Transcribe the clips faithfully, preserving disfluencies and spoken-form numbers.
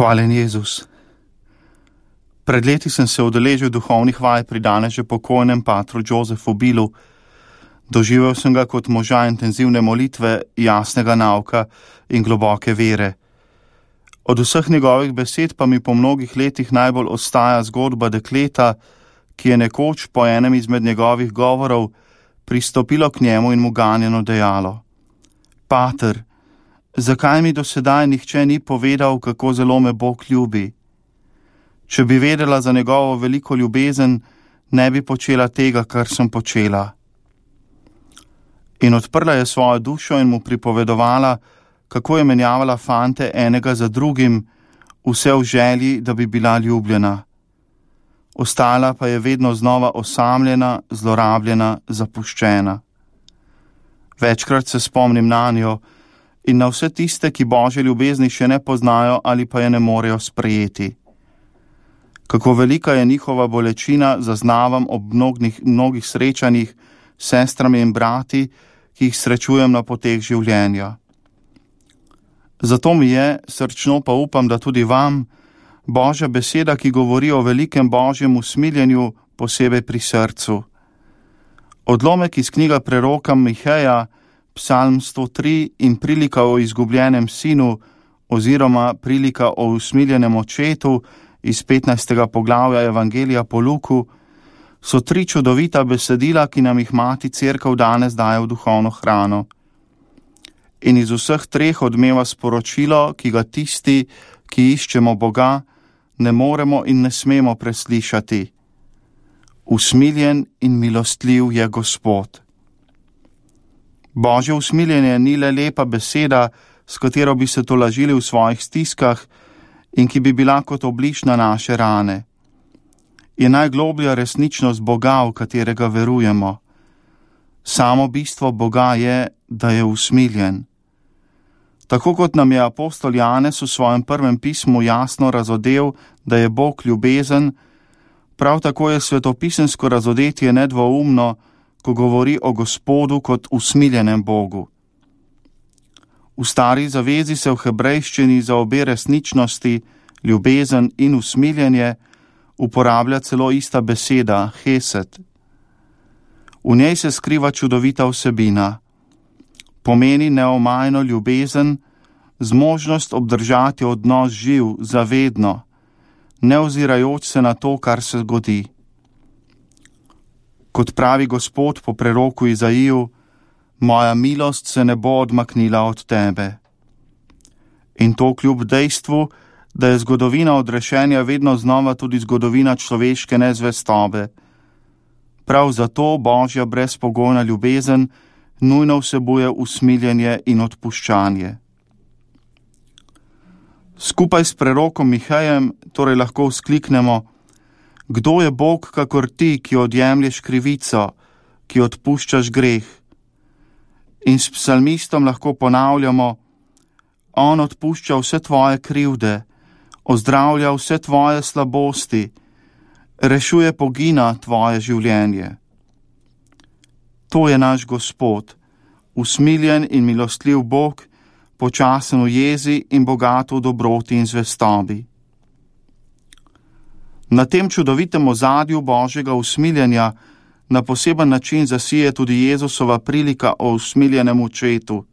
Hvaljen Jezus. Pred leti sem se udeležil duhovnih vaj pri danes že pokojnem patru Josefu Bilu. Doživel sem ga kot moža intenzivne molitve, jasnega nauka in globoke vere. Od vseh njegovih besed pa mi po mnogih letih najbolj ostaja zgodba dekleta, ki je nekoč po enem izmed njegovih govorov pristopilo k njemu in mu ganjeno dejalo: Pater, zakaj mi do sedaj nihče ni povedal, kako zelo me Bog ljubi? Če bi vedela za njegovo veliko ljubezen, ne bi počela tega, kar sem počela. In odprla je svojo dušo in mu pripovedovala, kako je menjavala fante enega za drugim, vse v želji, da bi bila ljubljena. Ostala pa je vedno znova osamljena, zlorabljena, zapuščena. Večkrat se spomnim nanjo in na vse tiste, ki Božje ljubezni še ne poznajo ali pa je ne morejo sprejeti. Kako velika je njihova bolečina, zaznavam ob mnogih, mnogih srečanjih s sestrami in brati, ki jih srečujem na poteh življenja. Zato mi je, srčno pa upam, da tudi vam, Božja beseda, ki govori o velikem Božjem usmiljenju, posebej pri srcu. Odlomek iz knjiga preroka Miheja, Psalm sto tri in prilika o izgubljenem sinu oziroma prilika o usmiljenem očetu iz petnajstega poglavja Evangelija po Luku, so tri čudovita besedila, ki nam jih Mati Cerkev danes daje v duhovno hrano. In iz vseh treh odmeva sporočilo, ki ga tisti, ki iščemo Boga, ne moremo in ne smemo preslišati. Usmiljen in milostljiv je Gospod. Božje usmiljenje ni le lepa beseda, s katero bi se tolažili v svojih stiskah in ki bi bila kot obliž na naše rane. Je najgloblja resničnost Boga, v katerega verujemo. Samo bistvo Boga je, da je usmiljen. Tako kot nam je apostol Janez v svojem prvem pismu jasno razodel, da je Bog ljubezen, prav tako je svetopisemsko razodetje nedvoumno, ko govori o Gospodu kot usmiljenem Bogu. V stari zavezi se v hebrejščini za obe resničnosti, ljubezen in usmiljenje, uporablja celo ista beseda, hesed. V njej se skriva čudovita vsebina. Pomeni neomajno ljubezen, zmožnost obdržati odnos živ, zavedno, ne ozirajoč se na to, kar se zgodi. Kot pravi Gospod po preroku Izaiju, moja milost se ne bo odmaknila od tebe. In to kljub dejstvu, da je zgodovina odrešenja vedno znova tudi zgodovina človeške nezvestobe. Prav zato Božja brezpogojna ljubezen nujno vsebuje usmiljenje in odpuščanje. Skupaj s prerokom Mihejem torej lahko vzkliknemo: Kdo je Bog kakor ti, ki odjemlješ krivico, ki odpuščaš greh? In s psalmistom lahko ponavljamo: On odpušča vse tvoje krivde, ozdravlja vse tvoje slabosti, rešuje pogina tvoje življenje. To je naš Gospod, usmiljen in milostljiv Bog, počasen v jezi in bogat v dobroti in zvestobi. Na tem čudovitem ozadju Božjega usmiljenja na poseben način zasije tudi Jezusova prilika o usmiljenem očetu.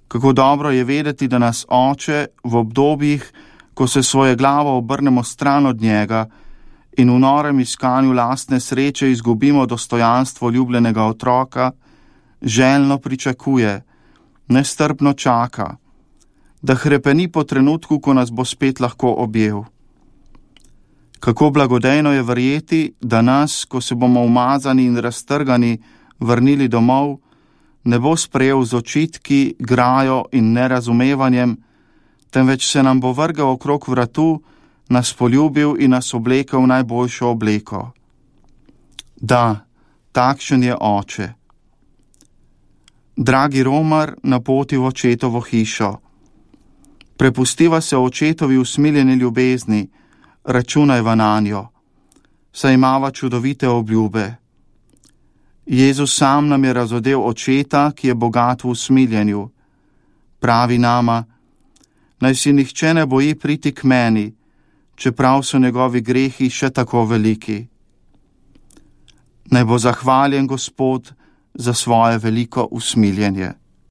Kako dobro je vedeti, da nas Oče v obdobjih, ko se svoje glavo obrnemo stran od njega in v norem iskanju lastne sreče izgubimo dostojanstvo ljubljenega otroka, željno pričakuje, nestrpno čaka, da hrepeni po trenutku, ko nas bo spet lahko objel. Kako blagodejno je verjeti, da nas, ko se bomo umazani in raztrgani vrnili domov, ne bo sprejel z očitki, grajo in nerazumevanjem, temveč se nam bo vrgel okrog vratu, nas poljubil in nas oblekel v najboljšo obleko. Da, takšen je Oče. Dragi romar na poti v očetovo hišo, prepustiva se očetovi usmiljeni ljubezni, računajva nanjo, saj imava čudovite obljube. Jezus sam nam je razodel očeta, ki je bogat v usmiljenju. Pravi nama: Naj si nihče ne boji priti k meni, čeprav so njegovi grehi še tako veliki. Naj bo zahvaljen Gospod za svoje veliko usmiljenje.